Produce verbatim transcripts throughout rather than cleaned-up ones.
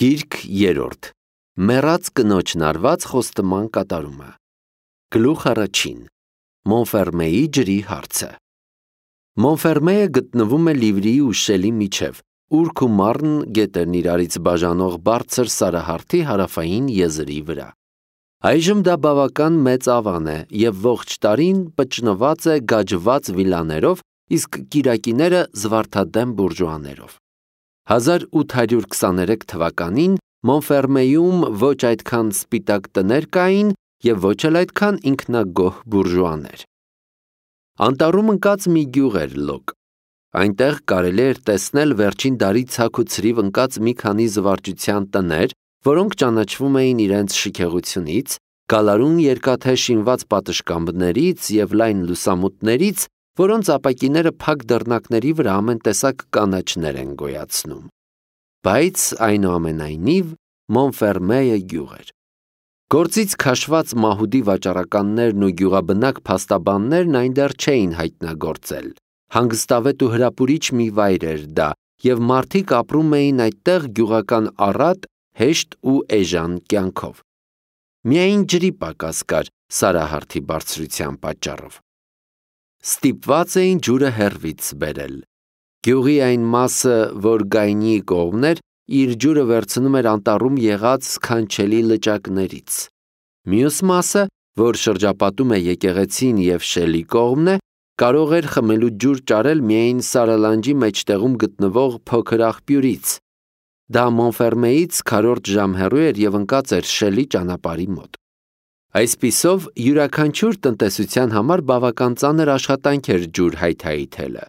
Գիրք երրորդ. Մեռած կնոջն արված խոստման կատարումը։ Գլուխ առաջին. Մոնֆերմեի ջրի հարցը։ Մոնֆերմեը գտնվում է Լիվրիի ու Շելի միջև, Ուրք ու Մարն գետերն իրարից բաժանող բարձր սարահարթի հարավային եզրի վրա։ Այժմ դա բավական մեծ ավան է և ողջ տարին պճնված է գաջված վիլաներով, իսկ կիրակիները զվարթադեմ բուրժուաներով։ հազար ութ հարյուր քսաներեք թվականին Մոնֆերմեյում ոչ այդքան սպիտակ տներ կային և ոչ էլ այդքան ինքնագոհ բուրժուաներ։ Անտառում ընկած մի գյուղ էր Լոկ։ Այնտեղ կարելի էր տեսնել վերջին դարի ցաք ու ցրիվ ընկած մի քանի զվարճության տներ, որոնք ճանաչվում էին իրենց շքեղությունից, գալարուն երկաթե շինված պատշգամբներից և լայն լուսամուտներից, որոնց ապակիները փակ դռնակների վրա ամեն տեսակ կանաչներ են գոյացնում։ Բայց այնուամենայնիվ Մոնֆերմեյը գյուղ էր։ Գործից քաշված մահուդի վաճառականներն ու գյուղաբնակ փաստաբաններն այն դեռ չէին հայտնագործել։ Հանգստավետ ու հրապուրիչ մի վայր էր դա, և մարդիկ ապրում էին այդտեղ գյուղական առատ, հեշտ ու էժան կյանքով։ Միայն ջրի պակաս կար սարահարթի բարձրության պատճառով։ Ստիպված էին ջուրը հեռվից բերել։ Գյուղի այն մասը, որ Գայնիի կողմն էր, իր ջուրը վերցնում էր անտառում եղած սքանչելի լճակներից։ Մյուս մասը, որ շրջապատում է եկեղեցին և Շելի կողմն է, կարող էր խմելու ջուր ճարել միայն Սարալանջի մեջտեղում գտնվող փոքր աղբյուրից։ Դա Մոնֆերմեից քառորդ ժամ հեռու էր և ընկած էր Շելի ճանապարհի մոտ։ Այսպիսով, յուրաքանչյուր տնտեսության համար բավական ծանր աշխատանք էր ջուր հայթայթելը։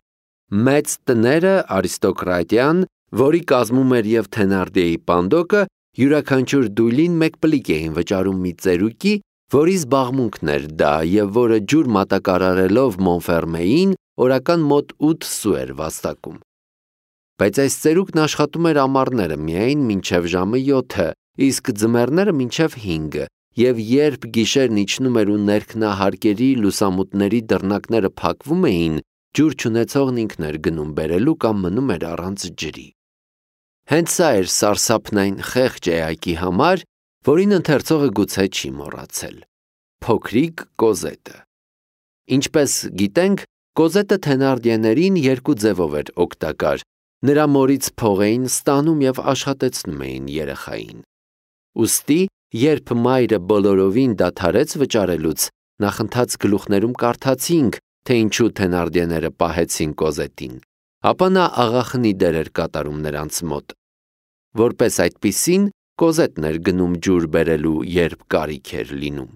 Մեծ տները, արիստոկրատիան, որի կազմում էր և Թենարդիեի պանդոկը, յուրաքանչյուր դույլին մեկ պլիկ էին վճարում մի ծերուկի, որի զբաղմունքն էր դա և որը ջուր մատակարարելով Մոնֆերմեին, օրական մոտ ութ սու էր վաստակում։ Բայց այս ծերուկն աշխատում էր ամառները միայն մինչև ժամը յոթը, իսկ ձմեռները մինչև հինգը, և երբ գիշերն իջնում էր ու ներքնահարկերի լուսամուտների դռնակները փակվում էին, ջուր չունեցողն ինքն էր գնում բերելու կամ մնում էր առանց ջրի։ Հենց սա էր սարսափն այն խեղճ էակի համար, որին ընթերցողը գուցե չի մոռացել։ Փոքրիկ Կոզետը։ Ինչպես գիտենք, Կոզետը Թենարդիեներին երկու ձևով էր օգտակար։ Նրա մորից փող էին ստանում և աշխատեցնում էին երեխային։ Ուստի, երբ մայրը բոլորովին դադարեց վճարելուց, նախընթաց գլուխներում կարդացինք, թե ինչու Թենարդիեները պահեցին Կոզետին, ապա նա աղախնի դեր էր կատարում նրանց մոտ։ Որպես այդպիսին, Կոզետն էր գնում ջուր բերելու, երբ կարիք էր լինում։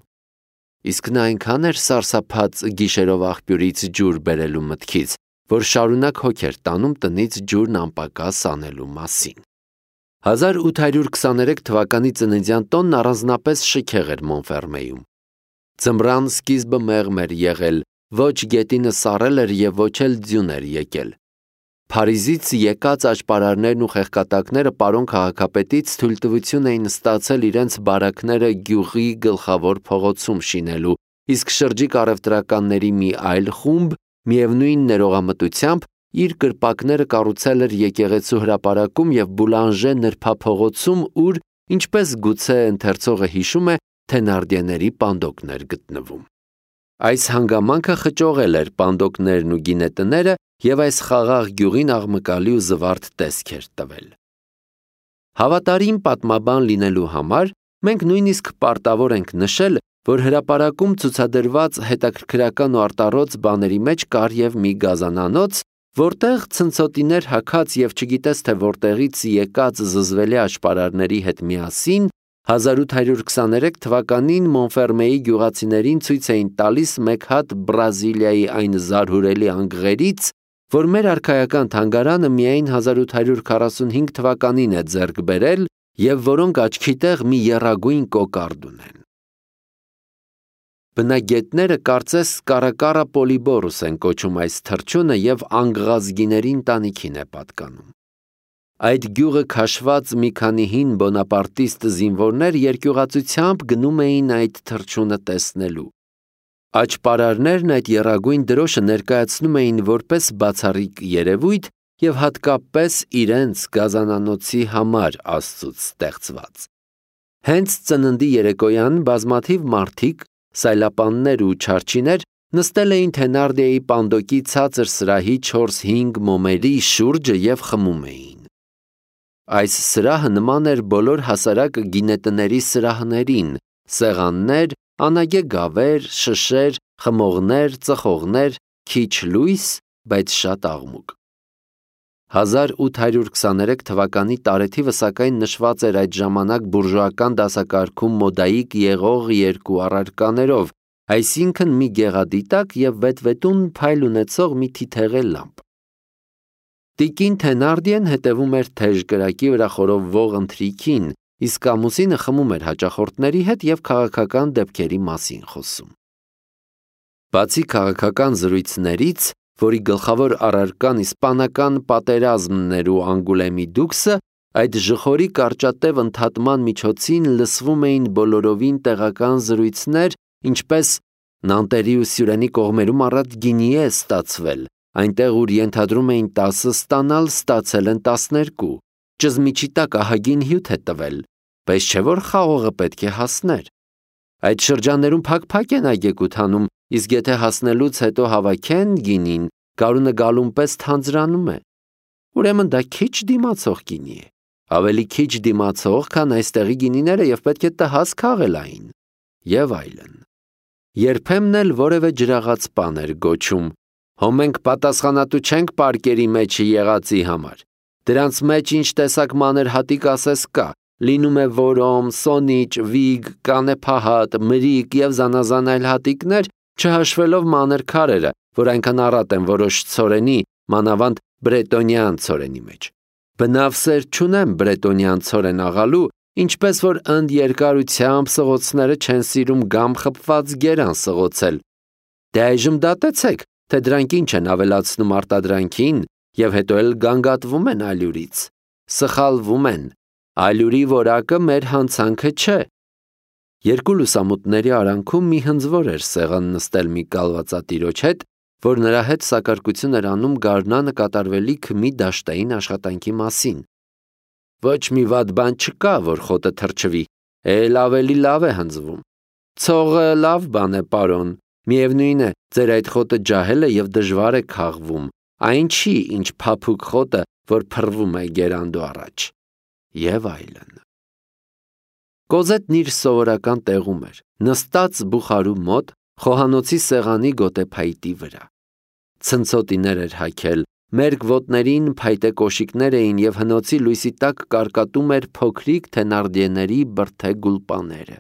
Իսկ նա այնքան էր սարսափած գիշերով աղբյուրից ջուր բերելու մտքից, որ շարունակ հոգ էր տանում տնից ջուրն անպակաս անելու մասին։ հազար ութ հարյուր քսաներեք թվականի ծննդյան տոնն առանձնապես շքեղ էր Մոնֆերմեյում։ Ձմռան սկիզբը մեղմ էր եղել, ոչ գետինը սառել էր և ոչ էլ ձյուն էր եկել։ Փարիզից եկած աճպարարներն ու խեղկատակները պարոն քաղաքապետից թույլտվություն էին ստացել իրենց բարակները գյուղի գլխավոր փողոցում շինելու, իսկ շրջիկ առևտրականների մի այլ խումբ միևնույն ներողամտությամբ իր կրպակները կառուցել էր եկեղեցու հրապարակում և Բուլանժե նրբափողոցում, ուր, ինչպես գուցե ընթերցողը հիշում է, Թենարդիեների պանդոկն էր գտնվում։ Այս հանգամանքը խճողել էր պանդոկներն ու գինետները և այս խաղաղ գյուղին աղմկալի ու զվարթ տեսք էր տվել։ Հավատարիմ պատմաբան լինելու համար մենք նույնիսկ պարտավոր ենք նշել, որ հրապարակում ցուցադրված հետաքրքրական ու արտառոց բաների մեջ կար և մի գազանանոց, որտեղ ցնցոտիներ հագած և չգիտես թե որտեղից եկած զզվելի աճպարարների հետ միասին հազար ութ հարյուր քսաներեք թվականին Մոնֆերմեի գյուղացիներին ցույց էին տալիս մեկ հատ Բրազիլիայի այն զարհուրելի անգղերից, որ մեր արքայական թանգարանը միայն հազար ութ հարյուր քառասունհինգ թվականին է ձեռք բերել և որոնք աչքի տեղ մի եռագույն կոկարդ ունեն։ Բնագետները կարծես Կարակարա պոլիբորուս են կոչում այս թռչունը և անգղազգիների ընտանիքին է պատկանում։ Այդ գյուղը քաշված մի քանի հին բոնապարտիստ զինվորներ երկյուղածությամբ գնում էին այդ թռչունը տեսնելու։ Աճպարարներն այդ եռագույն դրոշը ներկայացնում էին որպես բացառիկ երևույթ, և հատկապես իրենց գազանանոցի համար Աստծուց ստեղծված։ Հենց ծննդի երեկոյան բազմաթիվ մարդիկ, սայլապաններ ու չարչիներ նստել էին Թենարդիայի պանդոկի ցածր սրահի չորս-հինգ մոմերի շուրջը և խմում էին։ Այս սրահը նման էր բոլոր հասարակ գինետների սրահներին՝ սեղաններ, անագե գավեր, շշեր, խմողներ, ծխողներ, քիչ լույս, բայց շատ աղմուկ։ հազար ութ հարյուր քսաներեք թվականի տարեթիվը սակայն նշված էր այդ ժամանակ բուրժուական դասակարգում մոդայիկ եղող երկու առարկաներով, այսինքն մի գեղադիտակ և վետվետուն փայլ ունեցող մի թիթեղե լամպ։ Տիկին Թենարդիեն հետևում էր թեժ կրակի վրա խորովվող ընթրիքին, իսկ ամուսինը խմում էր հաճախորդների հետ և քաղաքական դեպքերի մասին խոսում։ Բացի քաղաքական զրույցներից, որի գլխավոր առարկան իսպանական պատերազմն էր ու Անգուլեմի դուքսը, այդ ժխորի կարճատև ընդհատման միջոցին լսվում էին բոլորովին տեղական զրույցներ, ինչպես «Նանտերի ու Սյուրենի կողմերում առատ գինի է ստացվել, այնտեղ ուր ենթադրում էին տասը ստանալ, ստացել են տասներկու, ճզմիչի տակ ահագին հյութ է տվել, բայց չէ որ խաղողը պետք է հասներ։ Այդ շրջաններում փակ-փակ են այգեկութ անում, իսկ եթե հասնելուց հետո հավաքեն գինին, գարունը գալուն պես թանձրանում է։ Ուրեմն դա քիչ դիմացող գինի է, ավելի քիչ դիմացող, քան այստեղի գինիները և պետք է տհաս քաղել այն, և այլն։ Երբեմն էլ որևէ ջրաղաց բան էր գոչում. «Հո մենք պատասխանատու չենք պարկերի մեջը եղածի համար, դրանց մեջ ինչ տեսակ մանր հատիկ ասես կա, լինում է որոմ, սոնիչ, վիգ, կանեփահատ, մրիկ և զանազան այլ հատիկներ, չհաշվելով մանր քարերը, որ այնքան առատ են որոշ ցորենի, մանավանդ բրետոնյան ցորենի մեջ։ Բնավ սեր չունեմ բրետոնյան ցորեն աղալու, ինչպես որ ընդ երկարությամբ սղոցները չեն սիրում գամ խփված գերան սղոցել։ Դե այժմ դատեցեք, թե դրանք ինչ են ավելացնում արտադրանքին և հետո էլ գանգատվում են ալյուրից։ Սխալվում են, ալյուրի որակը մեր հանցանքը չէ»։ Երկու լուսամուտների արանքում մի հնձվոր էր սեղան նստել մի կալվածատիրոջ հետ, որ նրա հետ սակարկություն էր անում գարնանը կատարվելիք մի դաշտային աշխատանքի մասին։ «Ոչ մի վատ բան չկա, որ խոտը թրջվի, էլ ավելի լավ է հնձվում։ Ցողը լավ բան է, պարոն, միևնույն է, ձեր այդ խոտը ջահել է և դժվար է քաղվում, այն չի, ինչ փափուկ խոտը, որ փռվում է գերանդու առաջ» և այլն։ Կոզետն իր սովորական տեղում էր, նստած բուխարու մոտ, խոհանոցի սեղանի գոտեփայտի վրա։ Ցնցոտիներ էր հագել, մերկ ոտներին փայտե կոշիկներ էին և հնոցի լույսի տակ կարկատում էր փոքրիկ Թենարդիեների բրդե գուլպաները։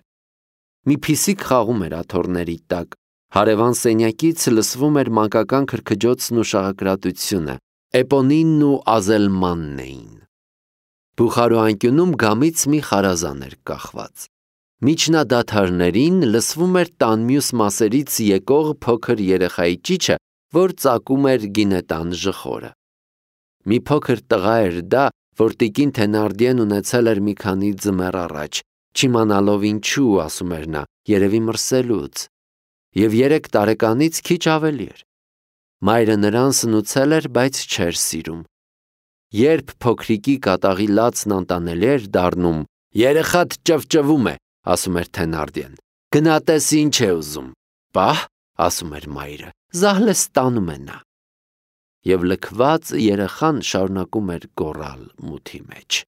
Մի փիսիկ խաղում էր աթոռների տակ, հարևան սենյակից լսվում էր մանկական քրքջոցն ու շաղակրատությունը, Էպոնինն ու Ազելմանն էին։ Բուխարու անկյունում գամից մի խարազան էր կախված։ Միջնադադարներին լսվում էր տան մյուս մասերից եկող փոքր երեխայի ճիչը, որ ծակում էր գինետան ժխորը։ Մի փոքր տղա էր դա, որ տիկին Թենարդիեն ունեցել էր մի քանի ձմեռ առաջ, չիմանալով ինչու, ասում էր նա, երևի մրսելուց, և երեք տարեկանից քիչ ավելի էր։ Մայրը նրան սնուցել էր, բայց չէր սիրում։ Երբ փոքրիկի կատաղի լացն անտանելի էր դառնում, երեխադ ճվճվում է, ասում էր Թենարդիեն, գնա տես ինչ է ուզում։ Պահ, ասում էր մայրը, զահլեստանում է նա։ Եվ լքված երեխան շարունակում էր գոռալ մութի մեջ։